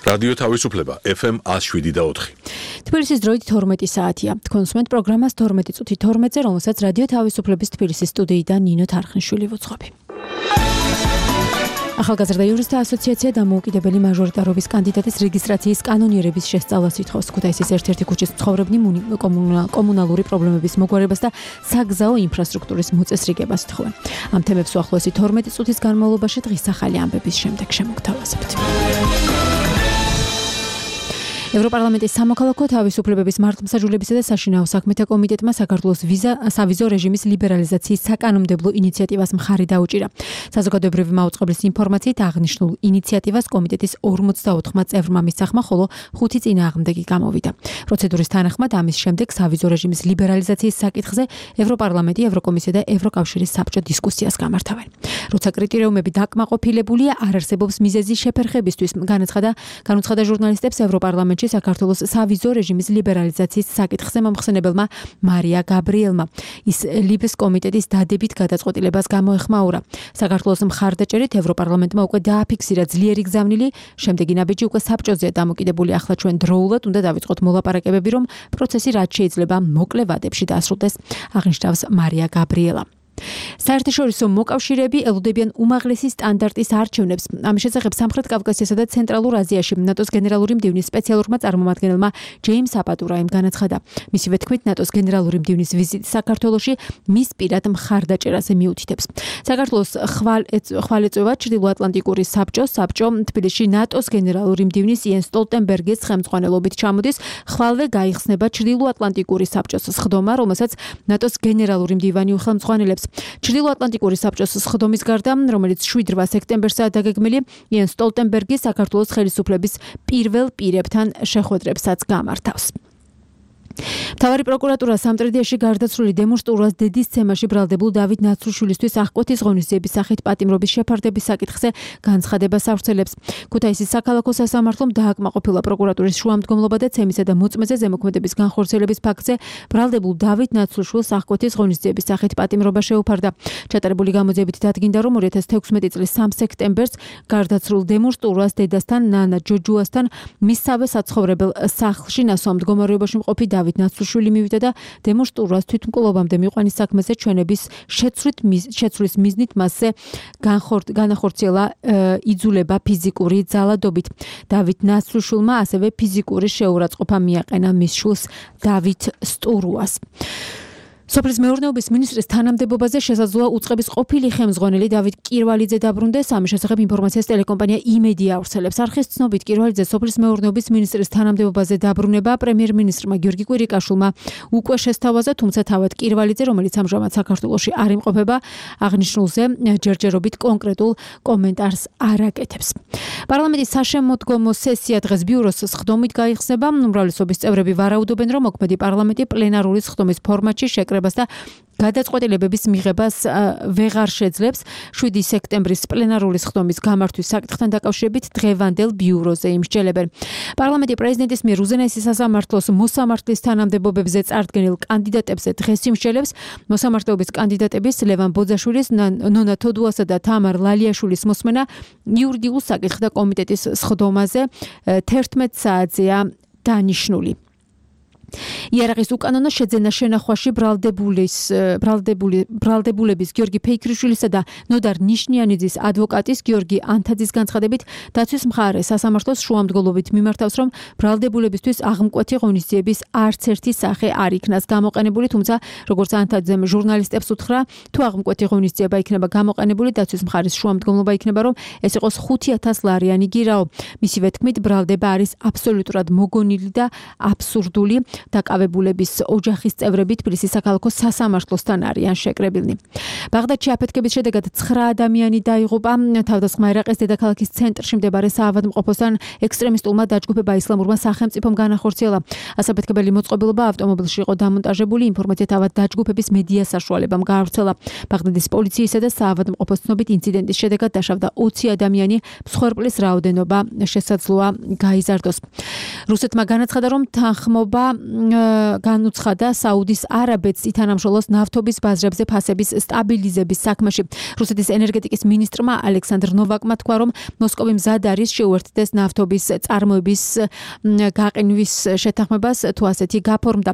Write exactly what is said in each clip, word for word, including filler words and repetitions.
რადიო თავისუფლება ეფ ემ one oh seven და four. თბილისის დროით თორმეტი საათია. თქვენ უსმენთ პროგრამას თორმეტი წუთი თორმეტზე, რომელსაც რადიო თავისუფლების თბილისის სტუდიიდან ნინო თარხნიშვილი ვუძღვები. ახალგაზრდა იურისტთა ასოციაცია დამოუკიდებელი მაჟორიტარობის კანდიდატის რეგისტრაციის კანონიერების შესწავლას ითხოვს. ქუთაისის ერთ-ერთი ქუჩის მცხოვრებნი კომუნალური პრობლემების მოგვარებას და საგზაო ინფრასტრუქტურის მოწესრიგებას ითხოვენ. ამ თემებს უახლოესი თორმეტი წუთის განმავლობაში დღის ახალი ამბების შემდეგ შემოგთავაზებთ. ევროპარლამენტის სამოქალაქო თავისუფლებების მართლმსაჯულებისა და საშინაო საქმეთა კომიტეტმა საქართველოს ვიზა სავიზო რეჟიმის ლიბერალიზაციის საკანონმდებლო ინიციატივას მხარი დაუჭირა. საზოგადოებრივი მაუწყებლის ინფორმაციით აღნიშნულ ინიციატივას კომიტეტის ორმოცდაოთხმა წევრმა მისახმა, ხოლო ხუთი წინააღმდეგი გამოვიდა. პროცედურის თანახმად ამის შემდეგ სავიზო რეჟიმის ლიბერალიზაციის საკითხზე ევროპარლამენტი, ევროკომისია და ევროკავშირის საბჭო დისკუსიას გამართავენ. როცა კრიტერიუმები დაკმაყოფილებულია, არ არსებობს მიზეზი შეფერხებისთვის, განაცხადა განუცხადა ჟურნალისტებს ევროპარლამენტში საქართველოს სავიზო რეჟიმის ლიბერალიზაციის საკითხზე მომხსენებელმა მარია გაბრიელმა. ის ლიბეს კომიტეტის დადებით გადაწყვეტილებას გამოეხმაურა. საქართველოს მხარდაჭერით ევროპარლამენტმა უკვე დააფიქსირა ძლიერი გზავნილი, შემდეგი ნაბიჯი უკვე საბჭოზეა დამოკიდებული. ახლა ჩვენ დროულად უნდა დავიწყოთ მოლაპარაკებები, რომ პროცესი რაც შეიძლება მოკლე ვადებში დასრულდეს, აღნიშნავს მარია გაბრიელა. საერთაშორისო მოკავშირეები ელოდებიან უმაღლესი სტანდარტის არჩევნებს. ამის შესახებ სამხრეთ კავკასიასა და ცენტრალურ აზიაში ნატოს გენერალური მდივნის სპეციალურმა წარმომადგენელმა ჯეიმს აპატურაიმ განაცხადა. მისივე თქმით, ნატოს გენერალური მდივნის ვიზიტი საქართველოში მის პირად მხარდაჭერაზე მიუთითებს. საქართველოს ხვალეწევა ჩრდილოატლანტიკური საბჭო, საბჭო თბილისში ნატოს გენერალური მდივნის იენს სტოლტენბერგის ხელმძღვანელობით ჩამოდის. ხვალვე გაიხსნება ჩრდილოატლანტიკური საბჭოს სხდომა, რომელსაც ნატოს გენერალური მდივანი უხელმძღვანელებს. ჩრდილოატლანტიკური საბჭოს სხდომის გარდა, რომელიც შვიდ რვა სექტემბერსაა დაგეგმილი, იენს სტოლტენბერგი საქართველოს ხელისუფლების პირველ პირებთან შეხვედრებსაც გამართავს. მთავარი პროკურატურა სამტრედიაში გარდაცვლილი დემონსტრუას დედის ცემაში ბრალდებულ დავით ნაცრუშვილისთვის აღკვეთის ღონისძიების სახით პატიმრობის შეფარდების საკითხზე განცხადებას ავრცელებს. ქუთაისის საქალაქო სასამართლომ დააკმაყოფილა პროკურატურის შუამდგომლობა და ცემისა და მოწმეზე ზემოქმედების განხორციელების ფაქტზე ბრალდებულ დავით ნაცრუშვილს აღკვეთის ღონისძიების სახით პატიმრობა შეუფარდა. ჩატარებული გამოძიებით დადგინდა, რომ ორი ათას თექვსმეტი წლის სამი სექტემბერს გარდაცვლილ დემონსტრუას დედასთან ნანა ჯოჯუასთან მისსავე საცხოვრებელ სახლში ნასვამ მდგომარეობაში მყოფი დავით ნაცრუშვილი მივიდა და დემონსტრუას თვითმკვლელობამდე მიყვანის საქმეზე ჩვენების შეცვლის მიზნით მასზე განახორციელა იძულება ფიზიკური ძალადობით. დავით ნაცრუშვილმა ასევე ფიზიკური შეურაცხყოფა მიაყენა მის შვილს დავით სტურუას. სოფლის მეურნეობის მინისტრის თანამდებობაზე შესაძლოა უწყების ყოფილი ხელმძღვანელი დავით კირვალიძე დაბრუნდეს. ამის შესახებ ინფორმაციას ტელეკომპანია იმედია ავრცელებს. არხის ცნობით კირვალიძე სოფლის მეურნეობის მინისტრის თანამდებობაზე დაბრუნება პრემიერ-მინისტრმა გიორგი კვირიკაშვილმა უკვე შესთავაზა, თუმცა თავად კირვალიძე, რომელიც ამჟამად საქართველოში არ იმყოფება, აღნიშნულზე ჯერჯერობით კონკრეტულ კომენტარს არ აკეთებს. პარლამენტის საშემოდგომო სესია დღეს ბიუროს სხდომით გაიხსნება. უმრავლესობის წევრები ვარაუდობენ, რომ მოქმედი პარლამენტი პლენარული სხდომის ფორმატში შეკრება და გადაწყვეტილებების მიღებას ვეღარ შეძლებს. შვიდი სექტემბრის პლენარული სხდომის გამართვის საკითხთან დაკავშირებით დღევანდელ ბიუროზე იმსჯელებენ. პარლამენტი პრეზიდენტის მიერ უზენაესი სასამართლოს მოსამართლის თანამდებობებზე წარდგენილ კანდიდატებზე დღეს იმსჯელებს. მოსამართლეობის კანდიდატების ლევან ბოძაშვილის, ნონა თოდუასა და თამარ ლალიაშვილის მოსმენა იურიდიულ საკითხთა კომიტეტის სხდომაზე თერთმეტ საათზეა დანიშნული. იარაღის უკანონო შეძენა შენახვაში ბრალდებულის ბრალდებული ბრალდებულების გიორგი ფეიქრიშვილისა და ნოდარ ნიშნიანიძის ადვოკატის გიორგი ანთაძის განცხადებით დაცვის მხარე სასამართლოს შუამდგომლობით მიმართავს, რომ ბრალდებულებისთვის აღმკვეთი ღონისძიების არც ერთი სახე არ იქნას გამოყენებული, თუმცა როგორც ანთაძემ ჟურნალისტებს უთხრა, თუ აღმკვეთი ღონისძიება იქნება გამოყენებული, დაცვის მხარის შუამდგომლობა იქნება, რომ ეს იყოს ხუთი ათას ლარიანი გირაო. მისივე თქმით, ბრალდება არის აბსოლუტურად მოგონილი და აბსურდული. დაკავებულების ოჯახის წევრები თბილისის საქალაქო სასამართლოსთან არიან შეკრებილნი. ბაღდადში აფეთქების შედეგად ცხრა ადამიანი დაიღუპა. თავდასხმა ერაყის დედაქალაქის ცენტრში მდებარე საავადმყოფოსთან ექსტრემისტულმა დაჯგუფება ისლამურმა სახელმწიფომ განახორციელა. ასაფეთქებელი მოწყობილობა ავტომობილში იყო დამონტაჟებული. ინფორმაცია თავად დაჯგუფების მედია საშუალებამ გაავრცელა. ბაღდადის პოლიციისა და საავადმყოფოს ცნობით ინციდენტის შედეგად დაშავდა ოცი ადამიანი, მსხვერპლის რაოდენობა შესაძლოა გაიზარდოს. რუსეთმა განაცხადა, რომ თანხმობა განუცხადა საუდის არაბეთს ითანამშრომლოს ნავთობის ბაზრებზე ფასების სტაბილიზების საქმეში. რუსეთის ენერგეტიკის მინისტრმა ალექსანდრ ნოვაკმა თქვა, რომ მოსკოვი მზად არის შეუერთდეს ნავთობის წარმოების გაყინვის შეთანხმებას, თუ ასეთი გაფორმდა.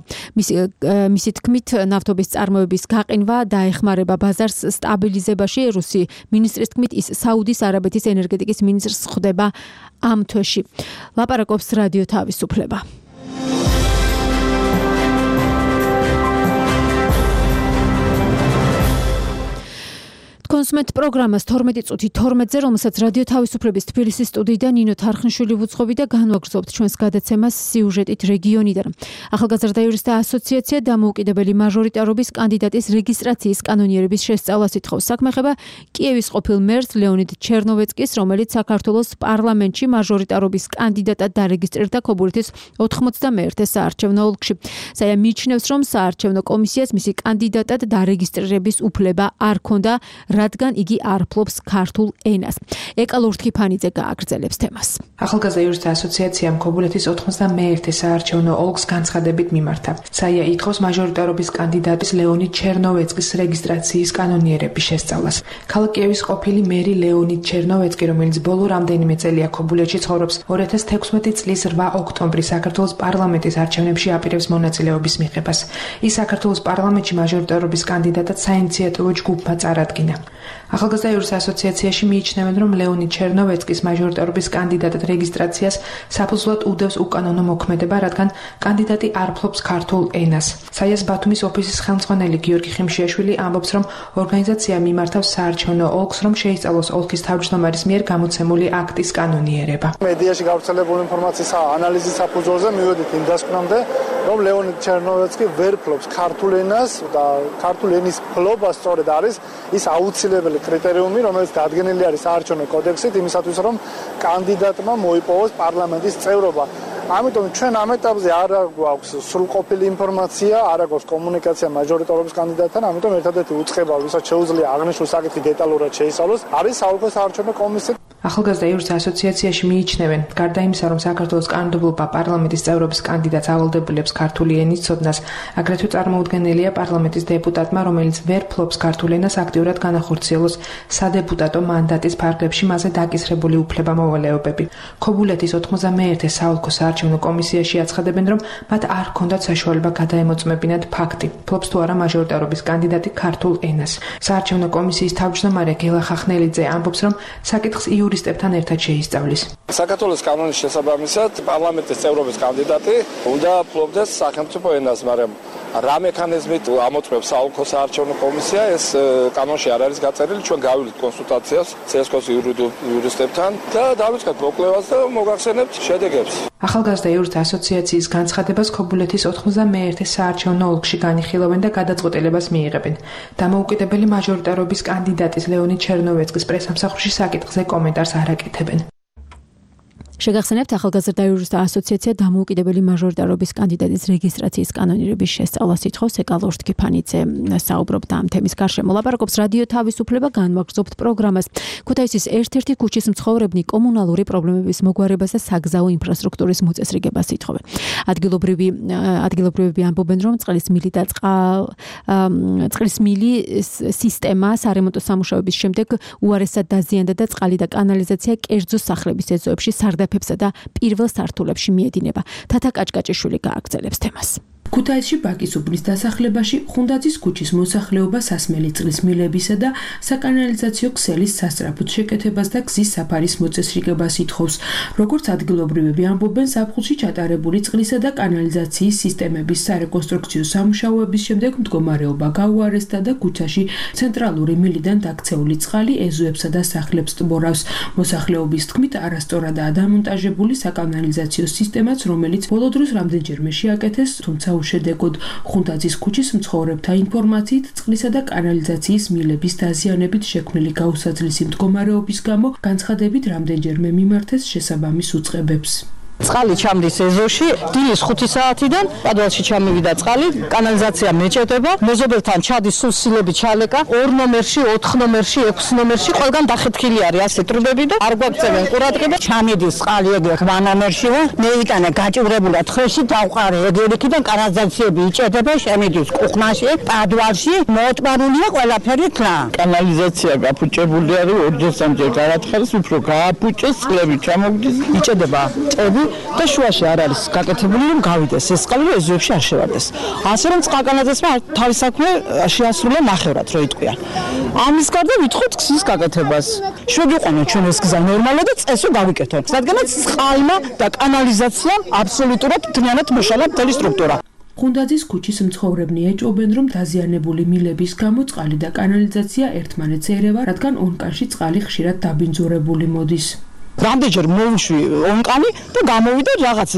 მისი თქმით, ნავთობის წარმოების გაყინვა დაეხმარება ბაზარს სტაბილიზებაში. რუსი მინისტრის თქმით, ის საუდის არაბეთის ენერგეტიკის მინისტრს ხვდება ამ თვეში. ლაპარაკობს რადიო თავისუფლება. კონსუმენტ პროგრამას თორმეტი წუთი თორმეტზე, რომელსაც რადიო თავისუფლების თბილისის სტუდიიდან ნინო თარხნიშვილი ვუძღობი და განვაგრძობთ ჩვენს გადაცემას სიუჟეტით რეგიონიდან. ახალგაზრდა იურისტთა ასოციაცია დამოუკიდებელი მაჟორიტარობის კანდიდატის რეგისტრაციის კანონიერების შესწავლას ითხოვს. საქმე ეხება კიევის ყოფილ მერს ლეონიდ ჩერნოვეცკის, რომელიც საქართველოს პარლამენტში მაჟორიტარობის კანდიდატად დარეგისტრირდა ქობულეთის ოთხმოცდამეერთე საარჩევნო ოლქში. საია მიიჩნევს, რომ საარჩევნო კომისიას მისი კანდიდატად დარეგისტრირების უფლება არ ჰქონდა, რადგან იგი არ ფლობს ქართულ ენას. ეკა ლურთქიფანიძე გააგრძელებს თემას. ახალგაზრდა იურისტთა ასოციაციამ ქობულეთის ოთხმოცდამეერთე საარჩევნო ოლქს განცხადებით მიმართა. საია ითხოვს მაჟორიტარობის კანდიდატის ლეონიდ ჩერნოვეცკის რეგისტრაციის კანონიერების შესწავლას. ქალაქ კიევის ყოფილი მერი ლეონიდ ჩერნოვეცკი, რომელიც ბოლო რამდენიმე წელია ქობულეთში ცხოვრობს, ორი ათას თექვსმეტი წლის რვა ოქტომბრის საქართველოს პარლამენტის არჩევნებში აპირებს მონაწილეობის მიღებას. ის საქართველოს პარლამენტში მაჟორიტარობის კანდიდატად საინიციატივო ჯგუფმა წარადგინა. ახალგაზრდა იურისტთა ასოციაციაში მიიჩნევენ, რომ ლეონიდ ჩერნოვეცკის მაჟორიტარობის კანდიდატად რეგისტრაციას საფუძვლად უდევს უკანონო მოქმედება, რადგან კანდიდატი არ ფლობს ქართულ ენას. საიას ბათუმის ოფისის ხელმძღვანელი გიორგი ხიმშიაშვილი ამბობს, რომ ორგანიზაცია მიმართავს საარჩევნო ოლქს, რომ შეისწავლოს ოლქის თავმჯდომარის მიერ გამოცემული აქტის კანონიერება. მედიაში გავრცელებული ინფორმაციის ანალიზის საფუძველზე მივედით იმ დასკვნამდე, რომ ლეონიდ ჩერნოვეცკი ვერ ფლობს ქართულ ენას და ქართულ ენის ფლობა სწორედ არის ის აუცილებელი კრიტერიუმი, რომელიც დადგენილი არის საარჩევნო კოდექსით იმისათვის, რომ კანდიდატმა მოიპოვოს პარლამენტის წევრობა. ამიტომ ჩვენ ამ ეტაპზე არ გვაქვს სრულყოფილი ინფორმაცია, არ აქვს კომუნიკაცია მაჟორიტარობის კანდიდატთან, ამიტომ ერთადერთი უწყება, ვისაც შეუძლია აღნიშნულ საკითხი დეტალურად შეისწავლოს, არის საოლქო საარჩევნო კომისია. ახალგაზრდა იურისტთა ასოციაციაში მიიჩნევენ, გარდა იმისა, რომ საქართველოს კანონმდებლობა პარლამენტის წევრობის კანდიდატს ავალდებულებს ქართული ენის ცოდნას, აგრეთვე წარმოუდგენელია პარლამენტის დეპუტატმა, რომელიც ვერ ფლობს ქართულ ენას, აქტიურად განახორციელოს სადეპუტატო მანდატის ფარგლებში მასზე დაკისრებული უფლება-მოვალეობები. ქობულეთის ოთხმოცდამეერთე საოლქო საარჩევნო კომისიაში აცხადებენ, რომ მათ არ ჰქონდათ საშუალება გადაემოწმებინათ ფაქტი, ფლობს თუ არა მაჟორიტარობის კანდიდატი ქართულ ენას. საარჩევნო კომისიის თავმჯდომარე გელა ხახნელიძე ამბობს, რომ საკითხს იურისტებთან ერთად შეისწავლის. საქართველოს კანონის შესაბამისად პარლამენტის წევრობის კანდიდატი უნდა ფლობდეს სახელმწიფო ენას, მაგრამ რა მექანიზმით ამოწმებს საოლქო საარჩევნო კომისია, ეს კანონში არ არის გაწერილი. ჩვენ გავივლით კონსულტაციას ცესკოს იურისტებთან და დავიწყეთ მოკვლევას და მოგახსენებთ შედეგებს. ახალგაზრდა იურისტთა ასოციაციის განცხადებას ქობულეთის ოთხმოცდამეერთე საარჩევნო ოლქში განიხილავენ და გადაწყვეტილებას მიიღებენ. დამოუკიდებელი მაჟორიტარობის კანდიდატის ლეონიდ ჩერნოვეცკის პრესამსახურში საკითხზე კომენტარს არ აკეთებენ. შეგახსენებთ, ახალგაზრდა იურისტთა ასოციაცია დამოუკიდებელი მაჟორიტარობის კანდიდატის რეგისტრაციის კანონიერების შესწავლას ითხოვს. ეკა ლურთქიფანიძე საუბრობდა ამ თემის გარშემო. ლაპარაკობს რადიო თავისუფლება, განვაგრძობთ პროგრამას. ქუთაისის ერთ-ერთი ქუჩის მცხოვრებნი კომუნალური პრობლემების მოგვარებას და საგზაო ინფრასტრუქტურის მოწესრიგებას ითხოვენ. ადგილობრივი ადგილობრივები ამბობენ, რომ წყლის მილი და წყლის მილი სისტემა სარემონტო სამუშაოების შემდეგ უარესად დაზიანდა და წყალი და კანალიზაცია კერძო სახლების ეზოებში სარდაფებსა და პირველ სართულებში მიედინება. თათა კაჭკაჭიშვილი გააგრძელებს თემას. ქუთაისში ბაკის უბნის დასახლებაში ხუნდაძის ქუჩის მოსახლეობა სასმელი წყლის მილებისა და საკანალიზაციო ქსელის სასწრაფოდ შეკეთებას და გზის საფარის მოწესრიგებას ითხოვს. როგორც ადგილობრივები ამბობენ, ზაფხულში ჩატარებული წყლისა და კანალიზაციის სისტემების სარეკონსტრუქციო სამუშაოების შემდეგ მდგომარეობა გაუარესდა და ქუჩაში ცენტრალური მილიდან დაქცეული წყალი ეზოებსა და სახლებს ტბორავს. მოსახლეობის თქმით, არასწორადაა დამონტაჟებული საკანალიზაციო სისტემაც, რომელიც ბოლო დროს რამდენჯერმე შეაკეთეს, თუმცა უშედეგოდ. ხუნდაძის ქუჩის მცხოვრებთა ინფორმაციით, წყლისა და კანალიზაციის მილების დაზიანებით შექმნილი გაუსაძლისი მდგომარეობის გამო განცხადებით რამდენჯერმე მიმართეს შესაბამის უწყებებს. წყალი ჩამდის ეზოში, დილის ხუთი საათიდან პადვალში ჩამივიდა წყალი, კანალიზაცია მეჭედება, მეზობელთან ჩადის სულ სილები ჩალეკა, ორ ნომერში, ოთხ ნომერში, ექვს ნომერში, ყველგან დახეთქილი არის ასე ტრუბები და არ გვაქცევენ ყურადღება. ჩამიდის წყალი ეგ რვა ნომერში, მეიტანე გაჭირებულად ხრეში დავყარე ეგერიქიდან კანალიზაციები იჭედება, შემიდის კუხნაში, პადვალში, მოწმარულია ყველაფერი თლა. კანალიზაცია გაფუჭებული არის ორჯერ-სამჯერ გადათხარეს, უფრო გააფუჭეს, წყლები ჩამოგდის, იჭედება წები და შუაში არ არის გაკეთებული რომ გავიდეს ეს წყალი რომ ეზოებში არ შევარდეს. ასე რომ წყალკანალიზაციამ თავის საქმე შეასრულა ნახევრად რო იტყვია. ამის გარდა ვითხოვთ გზის გაკეთებას. შევიყვანოთ ჩვენ ეს გზა ნორმალურად და წესო გავიკეთოთ. რადგანაც წყალმა და კანალიზაციამ აბსოლუტურად მთლიანად მოშალა მთელი სტრუქტურა. ხუნდაძის ქუჩის მცხოვრებნი ეჭვობენ, რომ დაზიანებული მილების გამო წყალი და კანალიზაცია ერთმანეთს ერევა, რადგან ონკანში წყალი ხშირად დაბინძურებული მოდის. რამდენჯერ მოვუშვი ონკანი და გამოვიდა რაღაც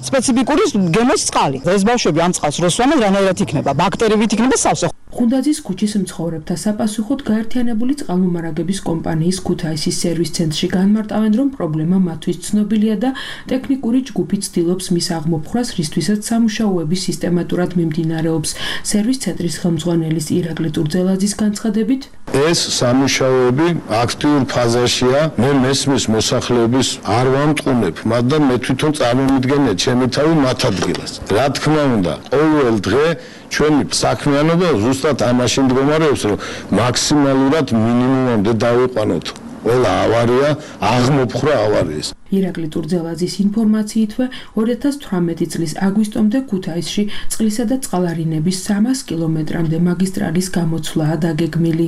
სპეციფიკური გემოს წყალი. ეს ბავშვები ამ წყალს როსვამენ რანაირად იქნება, ბაქტერიებით იქნება სავსე. ხუნდაძის ქუჩის მცხოვრებთა საპასუხოდ გაერთიანებული წყალმომარაგების კომპანიის ქუთაისის სერვის ცენტრში განმარტავენ, რომ პრობლემა მათთვის ცნობილია და ტექნიკური ჯგუფი ცდილობს მის აღმოფხვრას, რისთვისაც სამუშაოები სისტემატურად მიმდინარეობს. სერვის ცენტრის ხელმძღვანელის ირაკლი ტურძელაძის განცხადებით, ეს სამუშაოები აქტიურ ფაზაშია, მე მესმის მოსახლეობის არ ვამტყუნებ, მაგრამ მე თვითონ წარმომიდგენია ჩემი თავი მათ ადგილას. რა თქმა უნდა, ყოველ დღე ჩვენი საქმიანობა ზუსტად ამაში მდგომარეობს, რომ მაქსიმალურად მინიმუმამდე დავიყვანოთ ყველა ავარია, აღმოფხვრა ავარიის. ირაკლი ტურძელაძის ინფორმაციითვე ორი ათას თვრამეტი წლის აგვისტომდე ქუთაისში წყლისა და წყალარინების სამას კილომეტრამდე მაგისტრალის გამოცვლაა დაგეგმილი.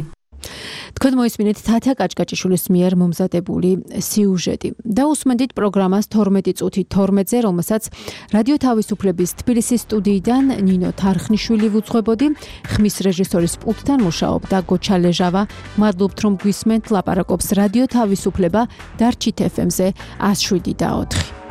თქვენ მოისმინეთ თათა კაჭკაჭიშვილის მიერ მომზადებული სიუჟეტი და უსმენთ პროგრამას თორმეტი წუთი თორმეტზე, რომელსაც რადიო თავისუფლების თბილისის სტუდიიდან ნინო თარხნიშვილი ვუძღვებოდი, ხმის რეჟისორის პულტთან მუშაობდა გოჩა ლეჟავა. მადლობთ რომ გვისმენთ, ლაპარაკობს რადიო თავისუფლება დარჩით ეფ ემ-ზე ას შვიდი და ოთხი.